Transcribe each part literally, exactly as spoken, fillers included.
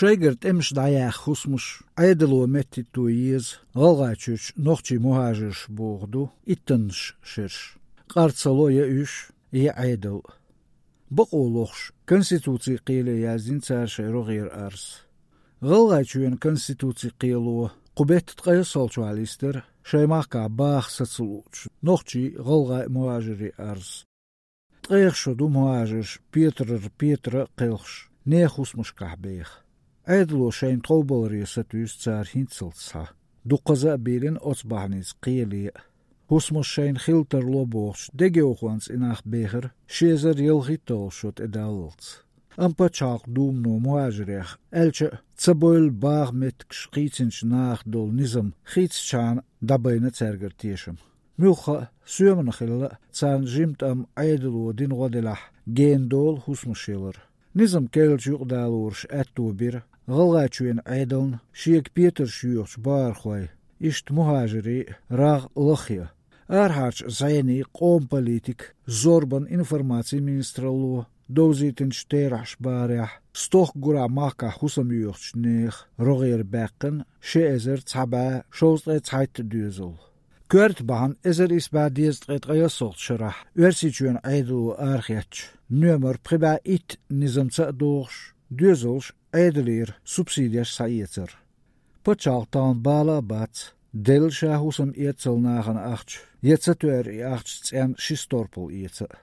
Шайгара тӀемаш дӀаяьха хӀусамаш Ӏедало меттахӀитто еза ГӀалгӀайчуьрчу нохчийн мухӀажарш бохург ду иттаннаш шераш. Къарцало я уьш, я Ӏедал. Бакъо лохуш, Конституцин кхеле яздина цара шайн рогӀера арз. ГӀалгӀайчоьнан Конституцин кхело кху беттан ткъе ялсолччохь листа шайн махкахь баха саца луучу нохчийн, гӀалгӀайн мухӀажарийн арз. Ткъех шо ду мухӀажарш Петарара Петар а кхелхаш нехан хӀусамашкахь беха. Ӏедало шайна тховбаларе сатуьйсу цара хӀинццалц схьа. Дуккхаза а бийлина оцу бахьаница кхеле а. ХӀусамаш шайна хила тарло бохучу дегайовхонца и нах бехира ши эзар ялхитталгӀа шо тӀедаллалц. Амма Пачхьалкхан Думано мухӀажарех, аьлча а, ца бевлла баха меттигаш кхийцинчу наха долу низам хийццачхьана дӀабайна цаьргара тешам. Муьлхха а, соьмана хилла а, царна жимма тӀамна Ӏедало дина гӀо делахь, гена долу хӀусамаш ялар. Низам керлачу юкъадалораш аьтто бира ГӀалгӀайчоьнан Ӏедална шега петарш йоьхучу бахархойн, иштта мухӀажарийн а рагӀ лахъян. Арахьарчу зӀенийн, къоман политикан, зорбан, информацин министралло довзийтинчу терахьаш бахарехь, стохка гурахь махкахь хӀусам йоьхучу нехан рогӀера баьккхина ши эзар цхьа бӀе шовзткъе цхьайтта доьзал. Коьрта бахьана эзар исс бӀе дезткъе ткъе ялсолгӀачу шарахь Оьрсийчоьнан Ӏедало арахецначу, номер пхи бӀе итт низамца а догӀуш, доьзалш Ӏедалера субсидеш схьаэцар. Пачхьалкх тахана бала а бац, делла ша хӀусам эццал нахана ахча, я ца тоьар и ахча цӀенна ши сторпал эца а.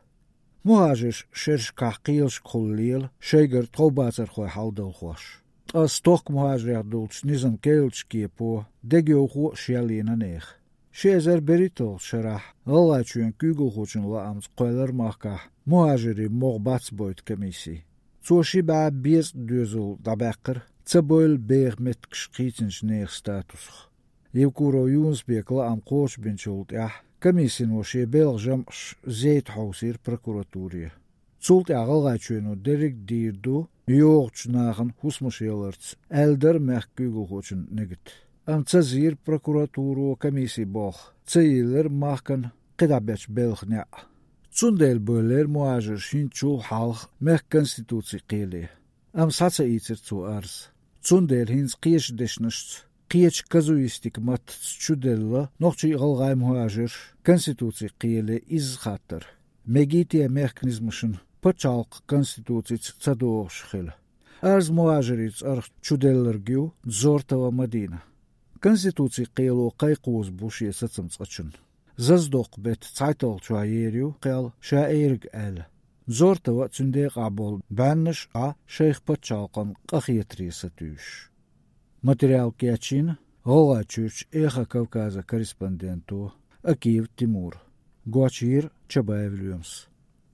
МухӀажарш шерашкахь кхелашкахула лела шайгара тховбацархой хьаладалхош. Ткъа стохка мухӀажарех долчу низам керлачу кепо дегайовхо а шелйина нехан. Ши эзар берхӀитталгӀачу шарахь ГӀалгӀайчоьнан куьйгалхочун лаамца кхоьллира махкахь мухӀажарийн могӀа бац бойту комисси. Цо ши бӀе безткъа доьзал дӀабаьккхира ца бевлла беха меттигаш кхийцинчу нехан статусах. Евкуров Юнус-Бекан лаам кхочушбинчул тӀаьхьа комиссино шен белхан жамӀаш зайта хьовсийра прокуратуре. Цул тӀаьхьа ГӀалгӀайчоьно дерриг а дийр ду йогӀучу нахана хӀусамаш яларца, аьлла дара мехкан куьйгалхочун Нигата. Амма ца зийра прокуратуро комиссин болх, ца йиллира махкана кхидӀа бечу белхан неӀ. Цундела бевллера мухӀажарш хӀинцачул хьалха мехкан Конституцин кхеле. Амма схьа ца ийцира цо арз. Цундела хӀинца кхечу дешнашца, кхечу казуистикан маттаца чуделла нохчийн а, гӀалгӀайн а мухӀажарш Конституцин кхеле изза хаттар: мегий те мехкан низамашна пачхьалкхан Конституцица ца догӀуш хила? Арз мухӀажарийн цӀарах чуделларг ю Дзортова Мадина. Конституцин кхело кхайкхоза бу шен сацам цкъачунна. Зазадоккху беттан цхьайтталгӀачохь ер ю кхел ша эриг аьлла. Дзортова а, цуьнан декъахь болу бӀеннаш а шайх пачхьалкхана къахетаре сатуьйсуш. Материал кечйина ГӀалгӀайчуьрчу «Эхо Кавказа» корреспонденто Акиев Тимура. Гочйийра Чабаев Лоьмас.